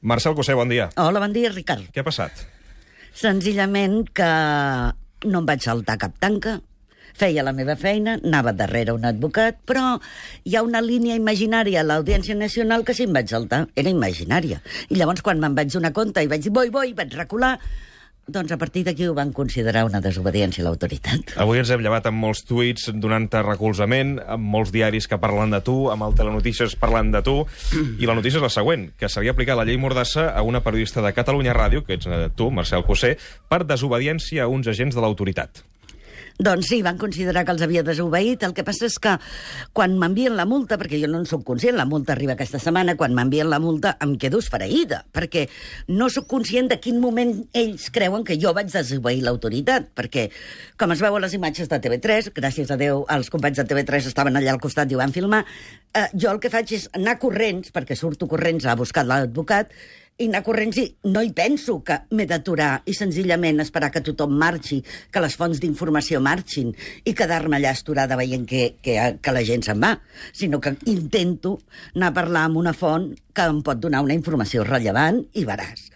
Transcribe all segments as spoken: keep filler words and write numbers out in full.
Marcel Cossé, bon dia. Hola, bon dia, Ricard. Què ha passat? Senzillament que no em vaig saltar cap tanca, feia la meva feina, anava darrere un advocat, però hi ha una línia imaginària a l'Audiència Nacional que sí em vaig saltar, era imaginària. I llavors, quan me'n vaig donar compte i vaig dir, boi, boi, vaig recular, doncs a partir d'aquí ho van considerar una desobediència a l'autoritat. Avui ens hem llevat amb molts tuits donant-te recolzament, amb molts diaris que parlen de tu, amb el Telenotícies parlant de tu, i la notícia és la següent, que s'havia aplicat la llei Mordassa a una periodista de Catalunya Ràdio, que ets tu, Marcel Cossé, per desobediència a uns agents de l'autoritat. Doncs sí, van considerar que els havia desobeït. El que passa és que quan m'envien la multa, perquè jo no en soc conscient, la multa arriba aquesta setmana, quan m'envien la multa em quedo esfereïda, perquè no sóc conscient de quin moment ells creuen que jo vaig desobeir l'autoritat, perquè, com es veu a les imatges de T V tres, gràcies a Déu, els companys de T V tres estaven allà al costat i ho van filmar, eh, jo el que faig és anar corrents, perquè surto corrents a buscar l'advocat, i anar corrents i no hi penso que m'he d'aturar i senzillament esperar que tothom marxi, que les fonts d'informació marxin i quedar-me allà esturada veient que, que, que la gent se'n va, sinó que intento anar a parlar amb una font que em pot donar una informació rellevant i veràs.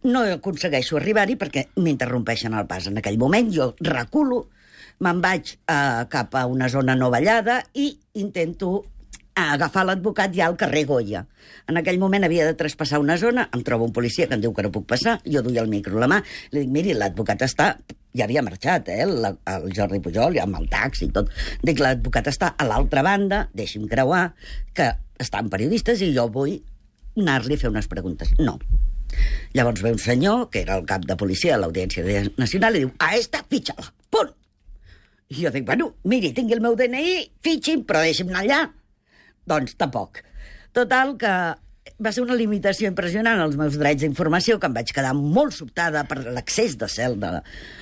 No aconsegueixo arribar-hi perquè m'interrompeixen el pas. En aquell moment jo reculo, me'n vaig eh, cap a una zona no ballada i intento a agafar l'advocat ja al carrer Goya. En aquell moment havia de traspassar una zona, em trobo un policia que em diu que no puc passar, jo duia el micro a la mà, li dic, miri, l'advocat està... Ja havia marxat, eh, el, el Jordi Pujol, amb el taxi i tot. Dic, l'advocat està a l'altra banda, deixi'm creuar, que estan periodistes i jo vull anar-li a fer unes preguntes. No. Llavors ve un senyor, que era el cap de policia de l'Audiència Nacional, i diu, a esta, fitxa-la, punt. I jo dic, bueno, miri, tingui el meu D N I, fitxi'm, però deixi'm anar allà. Doncs tampoc. Total, que va ser una limitació impressionant als meus drets d'informació, que em vaig quedar molt sobtada per l'accés de cel de,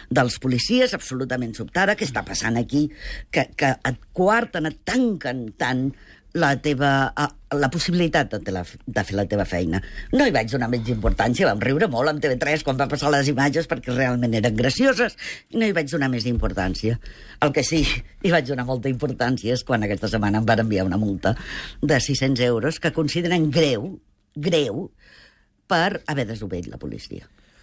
dels policies, absolutament sobtada. Què està passant aquí? Que, que et coarten, et tanquen tant la teva, la possibilitat de, la, de fer la teva feina. No hi vaig donar menys importància, vam riure molt amb T V tres quan va passar les imatges perquè realment eren gracioses, i no hi vaig donar més importància. El que sí hi vaig donar molta importància és quan aquesta setmana em van enviar una multa de sis-cents euros que consideren greu, greu, per haver desobeït la policia.